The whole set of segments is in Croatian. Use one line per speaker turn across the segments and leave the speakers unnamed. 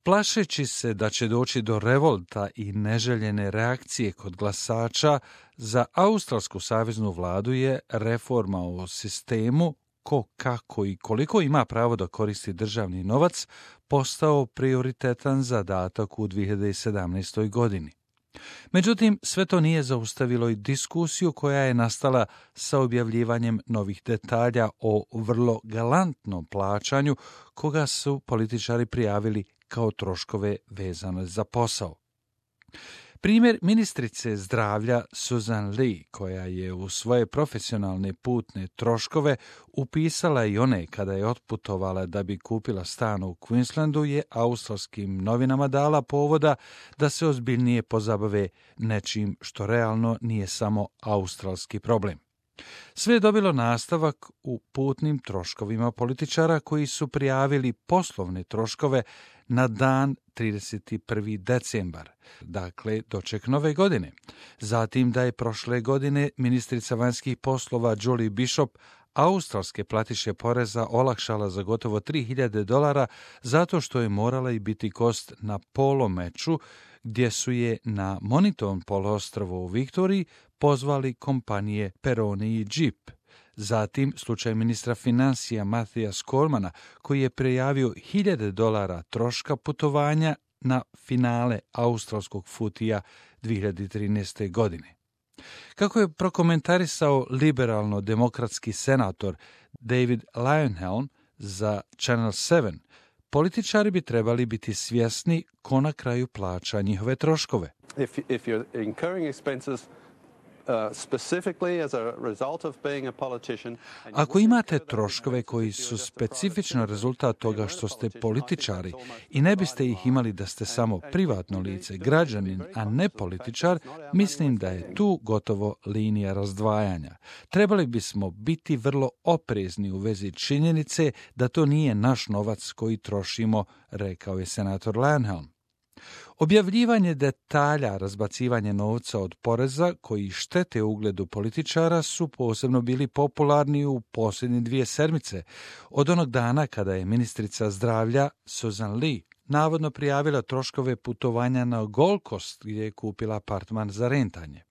Plašeći se da će doći do revolta i neželjene reakcije kod glasača, za australsku saveznu vladu je reforma o sistemu ko, kako i koliko ima pravo da koristi državni novac postao prioritetan zadatak u 2017. godini. Međutim, sve to nije zaustavilo i diskusiju koja je nastala sa objavljivanjem novih detalja o vrlo galantnom plaćanju koga su političari prijavili kao troškove vezane za posao. Primjer ministrice zdravlja Susan Lee, koja je u svoje profesionalne putne troškove upisala i one kada je otputovala da bi kupila stan u Queenslandu, je australskim novinama dala povoda da se ozbiljnije pozabave nečim što realno nije samo australski problem. Sve je dobilo nastavak u putnim troškovima političara koji su prijavili poslovne troškove na dan 31. decembar, dakle doček nove godine. Zatim da je prošle godine ministrica vanjskih poslova Julie Bishop australske platiše poreza olakšala za gotovo $3.000 zato što je morala i biti kost na polo meču gdje su je na Moniton poluostrvu u Viktoriji pozvali kompanije Peroni i Jeep. Zatim slučaj ministra financija Matthija Skolmana koji je prijavio $1.000 troška putovanja na finale australskog futija 2013. godine. Kako je prokomentarisao liberalno-demokratski senator David Leyonhjelm za Channel 7, političari bi trebali biti svjesni ko na kraju plaća njihove troškove.
If you're incurring expenses specifically as a result of being a politician.
Ako imate troškove koji su specifično rezultat toga što ste političari i ne biste ih imali da ste samo privatno lice, građanin, a ne političar, mislim da je tu gotovo linija razdvajanja. Trebali bismo biti vrlo oprezni u vezi činjenice da to nije naš novac koji trošimo, rekao je senator Leyonhjelm. Objavljivanje detalja razbacivanje novca od poreza koji štete ugledu političara su posebno bili popularni u posljednje 2 sedmice, od onog dana kada je ministrica zdravlja Susan Lee navodno prijavila troškove putovanja na Gold Coast gdje je kupila apartman za rentanje.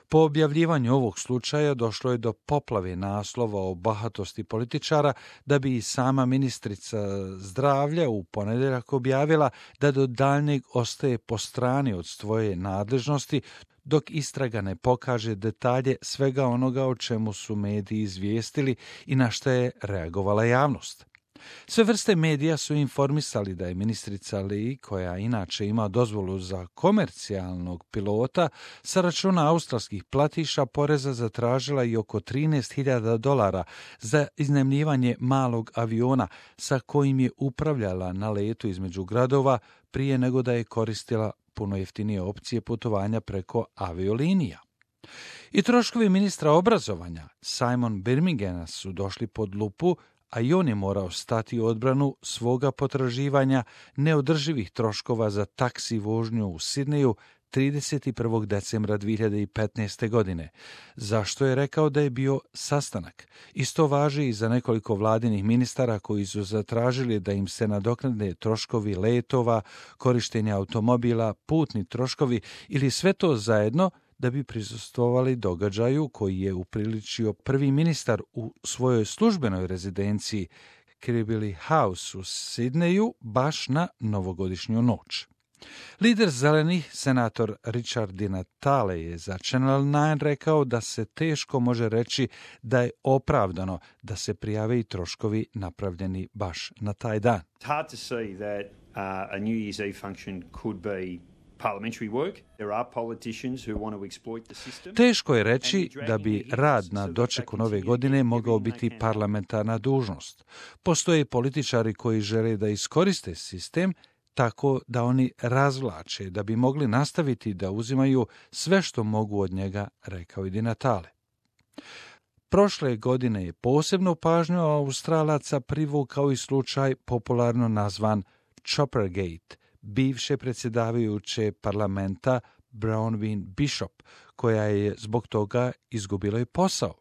Po objavljivanju ovog slučaja došlo je do poplave naslova o bahatosti političara da bi i sama ministrica zdravlja u ponedjeljak objavila da do daljnjeg ostaje po strani od svoje nadležnosti dok istraga ne pokaže detalje svega onoga o čemu su mediji izvijestili i na što je reagovala javnost. Sve vrste medija su informisali da je ministrica Lee, koja inače ima dozvolu za komercijalnog pilota, sa računa australskih platiša poreza zatražila i oko $13.000 za iznajmljivanje malog aviona sa kojim je upravljala na letu između gradova prije nego da je koristila puno jeftinije opcije putovanja preko aviolinija. I troškovi ministra obrazovanja Simon Birminghama su došli pod lupu, a i on je morao stati u odbranu svoga potraživanja neodrživih troškova za taksi vožnju u Sidneju 31. decembra 2015. godine, zašto je rekao da je bio sastanak. Isto važi i za nekoliko vladinih ministara koji su zatražili da im se nadoknade troškovi letova, korištenja automobila, putni troškovi ili sve to zajedno da bi prisustvovali događaju koji je upriličio prvi ministar u svojoj službenoj rezidenciji Kirribilli House u Sidneju baš na novogodišnju noć. Lider zelenih, senator Richard Di Natale, je za Channel 9 rekao da se teško može reći da je opravdano da se prijave i troškovi napravljeni baš na taj dan.
It's hard to see that a New Year's Eve function could be parliamentary work. There are politicians who want to exploit the system.
Teško je reći da bi rad na dočeku nove godine mogao biti parlamentarna dužnost. Postoje političari koji žele da iskoriste sistem tako da oni razvlače, da bi mogli nastaviti da uzimaju sve što mogu od njega, rekao je Di Natale. Prošle godine je posebnu pažnju Australaca privukao i slučaj popularno nazvan Choppergate, bivše predsjedavajuće parlamenta Bronwyn Bishop, koja je zbog toga izgubila i posao.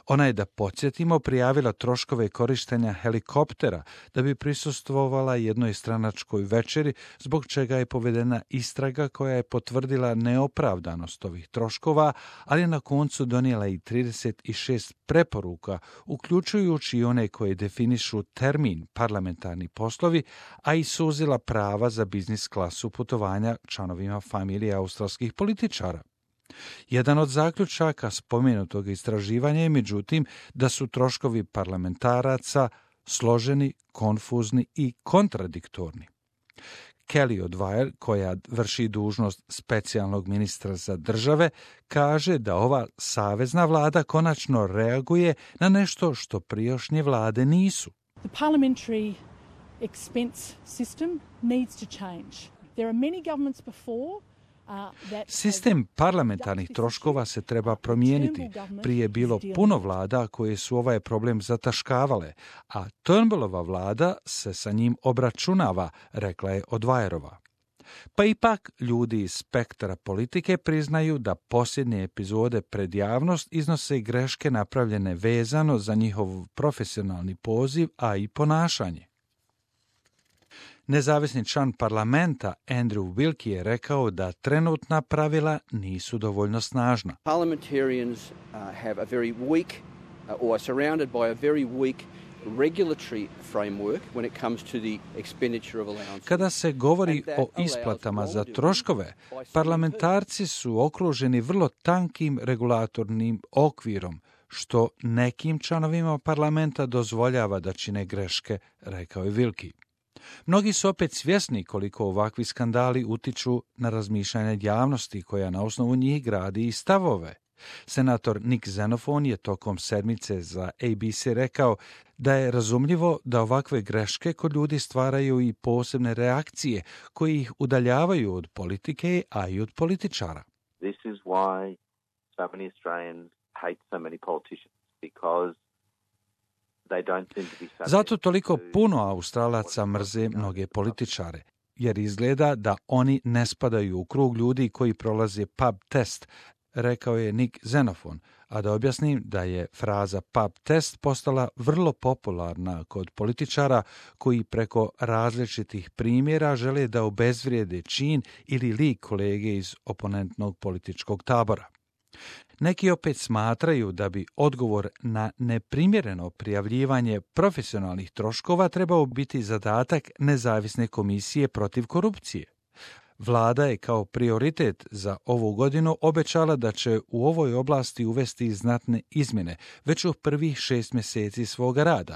Ona je, da podsjetimo, prijavila troškove korištenja helikoptera da bi prisustvovala jednoj stranačkoj večeri, zbog čega je povedena istraga koja je potvrdila neopravdanost ovih troškova, ali je na koncu donijela i 36 preporuka, uključujući i one koje definišu termin parlamentarni poslovi, a i suzila prava za biznis klasu putovanja članovima familije australskih političara. Jedan od zaključaka spomenutog istraživanja je, međutim, da su troškovi parlamentaraca složeni, konfuzni i kontradiktorni. Kelly O'Dwyer, koja vrši dužnost specijalnog ministra za države, kaže da ova savezna vlada konačno reaguje na nešto što prijašnje vlade nisu.
The parliamentary expense system needs to change. There are many governments before.
Sistem parlamentarnih troškova se treba promijeniti. Prije je bilo puno vlada koje su ovaj problem zataškavale, a Turnbullova vlada se sa njim obračunava, rekla je O'Dwyerova. Pa ipak ljudi iz spektra politike priznaju da posljednje epizode pred javnost iznose greške napravljene vezano za njihov profesionalni poziv, a i ponašanje. Nezavisni član parlamenta Andrew Wilkie je rekao da trenutna pravila nisu dovoljno snažna.
Parliamentarians have a very weak or are surrounded by a very weak regulatory framework when it comes to the expenditure of allowances.
Kada se govori o isplatama za troškove, parlamentarci su okruženi vrlo tankim regulatornim okvirom, što nekim članovima parlamenta dozvoljava da čine greške, rekao je Wilkie. Mnogi su opet svjesni koliko ovakvi skandali utiču na razmišljanje javnosti koja na osnovu njih gradi i stavove. Senator Nick Xenophon je tokom sedmice za ABC rekao da je razumljivo da ovakve greške kod ljudi stvaraju i posebne reakcije koje ih udaljavaju od politike, a i od političara.
This is why so many Australians hate so many politicians, because
zato toliko puno Australaca mrze mnoge političare, jer izgleda da oni ne spadaju u krug ljudi koji prolaze pub test, rekao je Nick Xenophon, a da objasnim da je fraza pub test postala vrlo popularna kod političara koji preko različitih primjera žele da obezvrijede čin ili lik kolege iz oponentnog političkog tabora. Neki opet smatraju da bi odgovor na neprimjereno prijavljivanje profesionalnih troškova trebao biti zadatak nezavisne komisije protiv korupcije. Vlada je kao prioritet za ovu godinu obećala da će u ovoj oblasti uvesti znatne izmjene već u prvih 6 mjeseci svoga rada,